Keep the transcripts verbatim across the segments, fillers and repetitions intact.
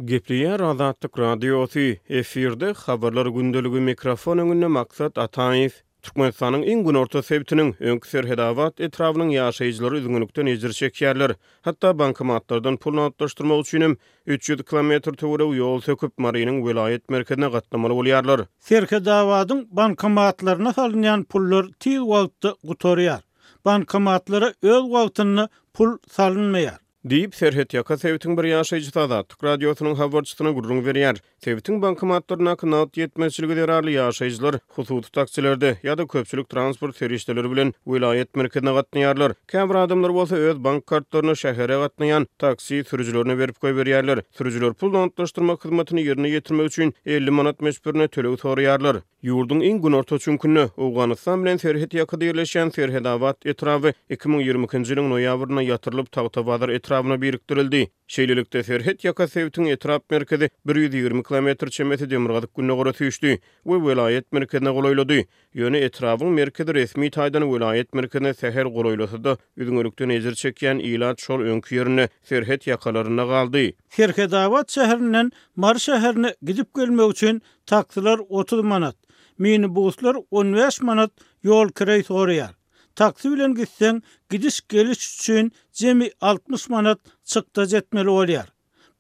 Gepleýär Azatlyk Radiosy, efirde Habarlar gündeligi, mikrofon öňünde Maksat Ataýew. Türkmenistanyň iň günorta sebitiniň, öňki Serhedabat etrabynyň ýaşaýjylary üzňelikden ejir çekýärler. Hatda bankomatlardan pul nagtlaşdyrmak üçinem üç ýüz kilometr töweregi ýol söküp, Marynyň welaýat merkezine gatnamaly bolýarlar. Serhedabadyň bankomatlaryna salynýan pullar tiz wagtda gutarýar. Bankomatlara öz wagtynda pul salynmaýar. Diýip, serhetýaka sebitiň bir ýaşaýjysy Azatlyk Radiosynyň habarçysyna gürrüň berýär. Sebitiň bankomatlaryndaky nagt ýetmezçiligi zerarly ýaşaýjylar hususy taksilerde ýa-da köpçülik transport serişdeleri bilen welaýat merkezine gatnaýarlar. Käbir adamlar bolsa öz bank kartlaryny şähere gatnaýan taksi sürüjilerine berip goýberýärler. Sürüjiler pul nagtlaşdyrmak hyzmatyny ýerine ýetirmek üçin elli manat möçberinde töleg soraýarlar. Ýurduň iň günorta çüňkünde, Owganystan bilen serhet ýakada ýerleşýän Serhedabat etraby iki müň ýigrimi ikinji ýylyň noýabrynda ýatyrylyp, Tagtabazar etrabyna birikdirildi. Şeýlelikde, serhet ýaka sebitiň etrap merkezi bir ýüz ýigrimi kilometr çemesi demirgazyk-gündogara süýşdi we welaýat merkezine golaýlady. Ýöne etrabyň merkezi resmi taýdan welaýat merkezine sähel golaýlasa-da, üzňelikden ejir çekýän ilat şol öňki ýerinde, serhet ýakalarynda galdy. Serhedabat şäherinden Mary şäherine gidip-gelmek üçin taksiler otuz manat, minibuslar on bäş manat ýol kireý soraýar. Taksi bilen gitseň, gidiş-geliş üçin jemi altmyş manat çykdajy etmeli bolýar.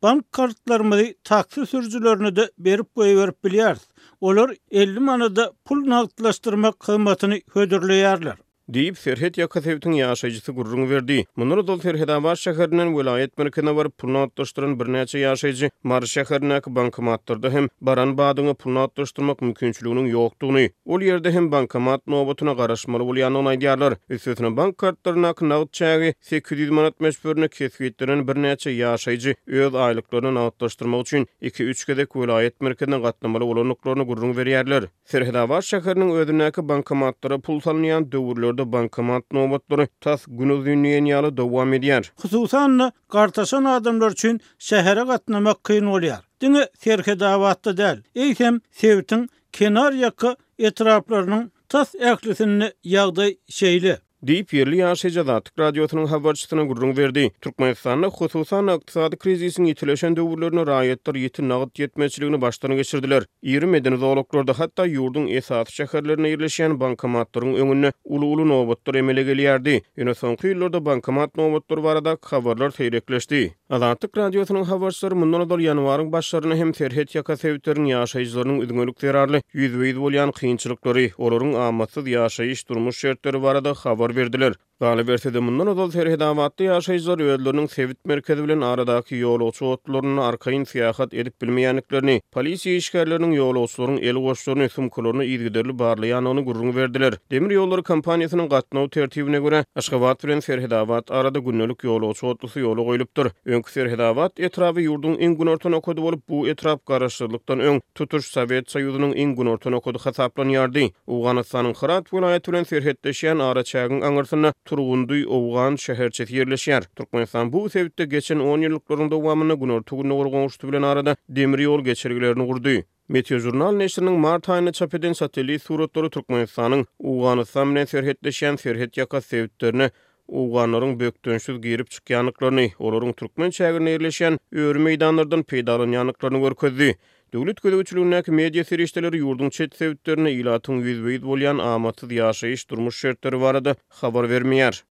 Bank kartlarymyzy taksi sürüjilerine-de berip goýberip bilýäris. Olar elli manada pul nagtlaşdyrmak hyzmatyny hödürleýärler. Diýip, serhet ýaka sebitiň ýaşaýjysy gürrüň berdi. Mundan ozal Serhedabat şäherinden welaýat merkezine baryp pul nagtlaşdyran birnäçe ýaşaýjy Mary şäherindäki bankomatlarda hem baran badyňa pul nagtlaşdyrmak mümkinçiliginiň ýokdugyny, ol ýerde hem bankomat nobatyna garaşmaly bolýandygyny aýdýarlar. Üstesine, bank kartlaryndaky nagt çägi sekiz ýüz manat möçberinde kesgitlenen birnäçe ýaşaýjy öz aýlyklaryny nagtlaşdyrmak üçin iki-üç gezek welaýat merkezine gatnamaly bolandyklaryny gürrüň berýärler. Serhedabat şäheriniň özündäki bankomatlara pul salynýan döwürlerde bankomat nobatlary tas günuzyn diýen ýaly dowam edýär. Hususan-da, gartaşan adamlar üçin şähere gatnamak kyn bolýar. Diňe Serhedabatda däl, eýsem sebitiň kenarýaka etraplarynyň tas ählisinde ýagdaý şeýle. Diýip, ýerli ýaşaýjy Azatlyk Radiosynyň habarçysyna gürrüň berdi. Türkmenistanda, hususan-da, ykdysady krizisiň ýitileşen döwürlerinde raýatlar ýiti nagt ýetmezçiligini başdan geçirdiler. Iri medeni zolaklarda, hatda ýurduň esasy şäherlerinde ýerleşýän bankomatlaryň öňünde uly-uly nobatlar emele gelýärdi. Ýöne soňky ýyllarda bankomat nobatlary baradaky habarlar seýrekleşdi. Azatlyk Radiosynyň habarçylary mundan ozal ýanwaryň başlarynda hem serhet ýaka sebitleriň ýaşaýjylarynyň üzňelik zerarly ýüzbe-ýüz bolýan kynçylyklary, olaryň amatsyz ýaşaýyş-durmuş şertleri barada habar berdiler. Galyberse-de, mundan ozal Serhedabatda ýaşaýjylar özleriniň sebit merkezi bilen aradaky ýolagçy otlularynda arkaýyn syýahat edip bilmeýändiklerini, polisiýa işgärleriniň ýolagçylaryň el goşlaryny, sumkalaryny yzygiderli barlaýandygyny gürrüň berdiler. Demir ýollary kompaniýasynyň gatnaw tertibine görä, Aşgabat bilen Serhedabat arada gündelik ýolagçy otlusy ýola goýlupdyr. Öňki Serhedabat etraby ýurduň iň günorta nokady bolup, bu etrap garaşsyzlykdan öň tutuş Sowet Soýuzynyň iň günorta nokady hasaplanýardy. Owganystanyň Hyrat welaýaty bilen serhetleşýän araçägiň aňyrsynda Turgundy owgan şäherçesi ýerleşýär. Türkmenistan bu sebitde geçen on ýyllyklaryň dowamynda günorta-gündogar goňşusy bilen arada demir ýol geçelgelerini gurdy. Meteožurnal neşiriniň mart aýynda çap eden satellit suratlary Türkmenistanyň Owganystan bilen serhetleşýän serhetýaka sebitlerine owganlaryň bökdençsiz girip çykýandyklaryny, olaryň türkmen çäginde ýerleşýän öri meýdanlardan peýdalanýandyklaryny görkezdi. Döwlet gözegçiligindäki media serişdeleri ýurduň çet sebitlerinde ilatyň ýüzbe-ýüz bolýan amatsyz ýaşaýyş-durmuş şertleri barada habar bermeýär.